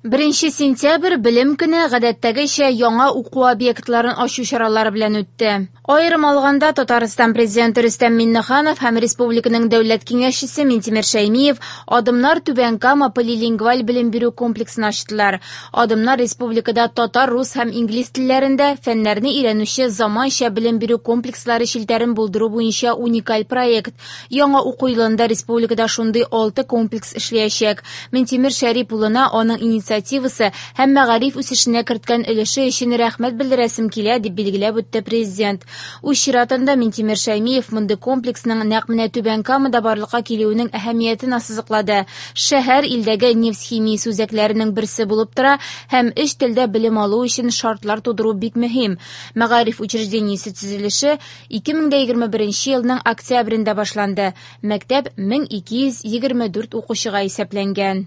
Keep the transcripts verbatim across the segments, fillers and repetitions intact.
Беренче сентябрь белем көне гадәттәгечә яңа уку объектларын ачу чаралары белән үтте. Аерым алганда, Татарстан Президенты Рөстәм Миңнеханов һәм республиканың дәүләт киңәшчесе Минтимер Шәймиев Адымнар Түбән Кама полилингваль белем бирү комплексын ачтылар. Адымнар республикада татар, рус һәм инглиз телләрендә фәннәрне өйрәнүче заманча белем бирү комплекслары челтәрен булдыру буенча уникаль проект. Яңа уку елында республикада шундый алты комплекс эшләячәк. Минтимер Шәрип улына аның инициативасы һәм мәгариф үсешенә керткән өлеше өчен рәхмәт белдерәсем килә, дип билгеләп үтте президент. Үз чиратында Минтимер Шәймиев мондый комплексның нәкъ менә Түбән Камада барлыкка килүенең әһәмиятен ассызыклады. Шәһәр илдәге нефть химиясе үзәкләренең берсе булып тора һәм өч телдә белем алу өчен шартлар тудыру бик мөһим. Мәгариф учреждениесе төзелеше ике мең дә егерме беренче елның октябрендә башланды. Мәктәп мең ике йөз егерме дүрт укучыга исәпләнгән.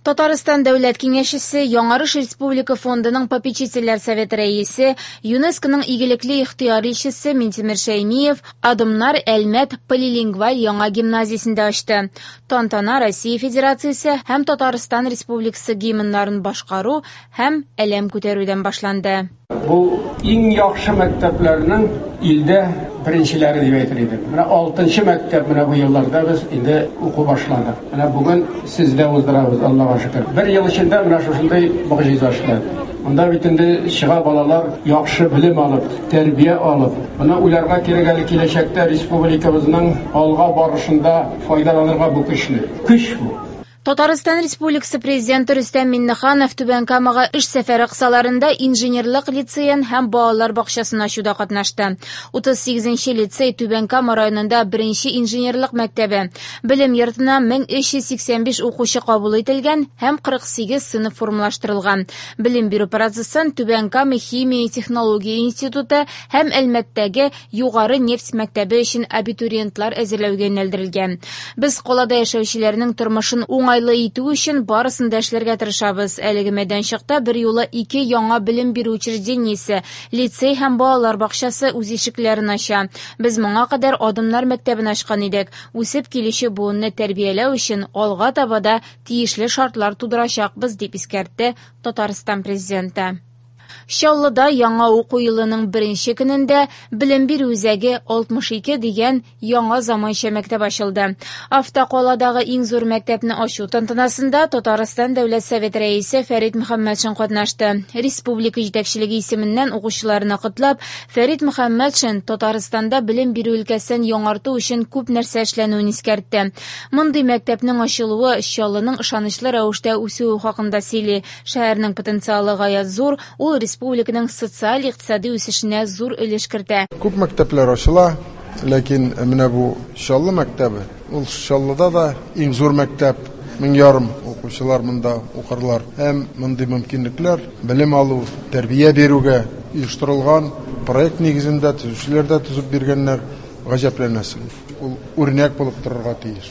Татарстан Дәүләт Киңәшчесе, Яңарыш Республика фондының попечительләр советы рәисе, ЮНЕСКОның игелекле ихтыяр илчесе Минтимер Шәймиев Адымнар Әлмәт полилингваль яңа гимназиясендә ачты. Тантана Россия Федерациясе һәм Татарстан Республикасы гимннарын башкару һәм әләм күтәрүдән башланды. Бу иң яхшы мәктәпләрнең илдә беренчеләре дип әйтер идем. Менә алтынчы мәктәп менә бу елларда без инде уку башладык. Менә бүген сездә уздырабыз, Аллага шөкер. Бер ел эчендә менә шушындай могҗиза эшләде. Монда бит инде чыга балалар яхшы белем алып, тәрбия алып. Моны уйларга кирәк әле киләчәктә республикабызның алга барышында файдаланырга бу көчне. Көч бу. Татарстан Республикасы Президенты Рөстәм Миңнеханов Түбән Камага эш сәфәре кысаларында инженерлык лицеен һәм балалар бакчасын ачуда катнашты. Утыз сигезенче лицей Түбән Кама районында беренче инженерлык мәктәбе. Белем йортына мең өч йөз сиксән биш укучы кабул ителгән һәм кырык сигез сыйныф формалаштырылган. Белем бирү процессын Түбән Кама химия технология институты һәм Әлмәттәге югары нефть мәктәбе өчен абитуриентлар әзерләүгә юнәлдерелгән. Без калада яшәүчеләрнең тормышын уңайлы итү өчен барысын да эшләргә тырышабыз. Әлеге мәйданчыкта бер юлы ике яңа белем бирү учреждениесе, лицей һәм балалар бакчасы үз ишекләрен ача. Без моңа кадәр Адымнар мәктәбен ачкан идек. Үсеп килүче буынны тәрбияләү өчен алга таба да тиешле шартлар тудырачакбыз, дип искәртте Татарстан Президенты. Чаллыда яңа уку елының беренче көнендә белем бирү үзәге алтмыш ике дигән яңа заманча мәктәп ачылды. Автокаладагы иң зур мәктәпне ачу тантанасында Татарстан Дәүләт Советы рәисе Фәрит Мөхәммәтшин катнашты. Республика җитәкчелеге исеменнән укучыларны котлап, Фәрит Мөхәммәтшин Татарстанда белем бирү өлкәсен яңарту өчен күп нәрсә эшләнүен искәртте. Мондый мәктәпнең ачылуы Чаллының ышанычлы рәвештә үсүе хакында сөйли. Шәһәрнең потенциалы гаять зур, ул республиканың социаль-икътисади үсешенә зур өлеш кертә. Күп мәктәпләр ачыла, ләкин менә бу Чаллы мәктәбе, ул Чаллыда да иң зур мәктәп, мең ярым укучылар монда укырлар. Һәм мондый мөмкинлекләр белем алу, тәрбия бирүгә оештырылган проект нигезендә төзүчеләр дә төзеп биргәннәр, гаҗәпләнәсең. Ул үрнәк булып торырга тиеш.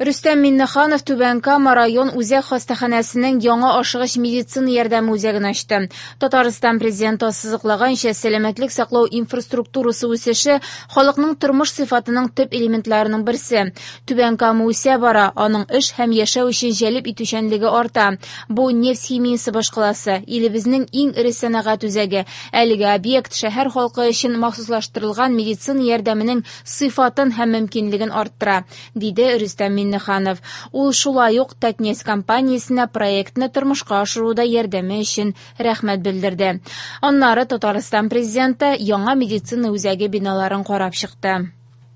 Рөстәм Миңнеханов Түбән Кама район үзәк хастаханәсенең яңа ашыгыч медицина ярдәме үзәген ачты. Татарстан Президенты ассызыклаганча, сәламәтлек саклау инфраструктурасы үсеше халыкның тормыш сыйфатының төп элементларының берсе. Түбән Кама үсә бара, аның эш һәм яшәү өчен җәлеп итүчәнлеге арта. Бу нефть химиясе башкаласы, илебезнең иң эре сәнәгать үзәге. Әлеге объект шәһәр халкы өчен махсуслаштырылган медицина ярдәменең сыйфатын һәм мөмкинлеген арттыра, диде Рөстәм Миңнеханов. Ул шулай ук Татнефть компаниясенә проектны тормышка ашыруда ярдәме өчен рәхмәт белдерде. Аннары Татарстан Президенты яңа медицина үзәге биналарын карап чыкты.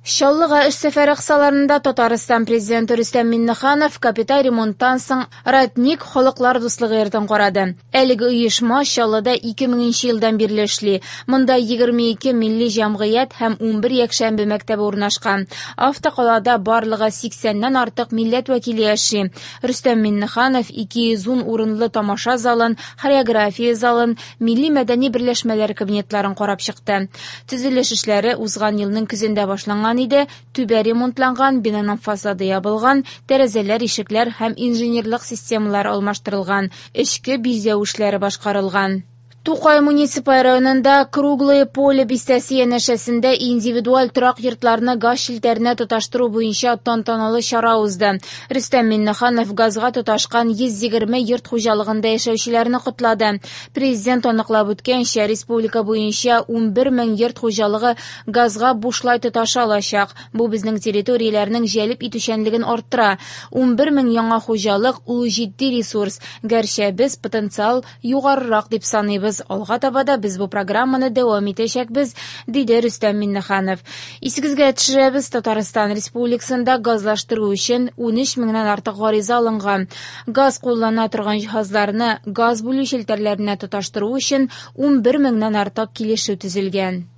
Чаллыга эш сәфәре кысаларында Татарстан Президенты Рөстәм Миңнеханов капиталь ремонттан соң Родник халыклар дуслыгы йортын карады. Әлеге оешма Чаллыда ике меңенче елдан бирле эшли. Монда егерме ике милли җәмгыять һәм унбер якшәмбе мәктәбе урнашкан. Автокалада барлыгы сиксәннән артык милләт вәкиле яши. Рөстәм Миңнеханов ике йөз ун урынлы тамаша залын, хореография залын, милли мәдәни берләшмәләр кабинетларын карап чыкты. Төзелеш эшләре узган елның көзендә башланган иде. Түбә ремонтланган, бинаның фасады ябылган, тәрәзәләр, ишекләр һәм инженерлык системалары алмаштырылган, эчке бизәү эшләре башкарылган. Тукай муниципаль районында Круглое Поле бистәсе янәшәсендә индивидуаль торак йортларны газ челтәренә тоташтыру буенча тантаналы чара узды. Рөстәм Миңнеханов газга тоташкан йөз егерме йорт хуҗалыгында яшәүчеләрне котлады. Президент аныклап үткәнчә, республика буенча унбер мең йорт хуҗалыгы газга бушлай тоташа алачак. Бу безнең территорияләрнең җәлеп итүчәнлеген арттыра. унбер мең яңа хуҗалык ул җитди ресурс. Гәрчә без потенциал югарырак дип саныйбыз. Алга таба да без бу программаны дәвам итәчәкбез, диде Рөстәм Миңнеханов. Исегезгә төшерәбез, Татарстан Республикасында газлаштыру өчен унөч меңнән артык гариза алынган. Газ куллана торган җиһазларны газ бүлү челтәрләренә тоташтыру өчен унбер меңнән артык килешү төзелгән.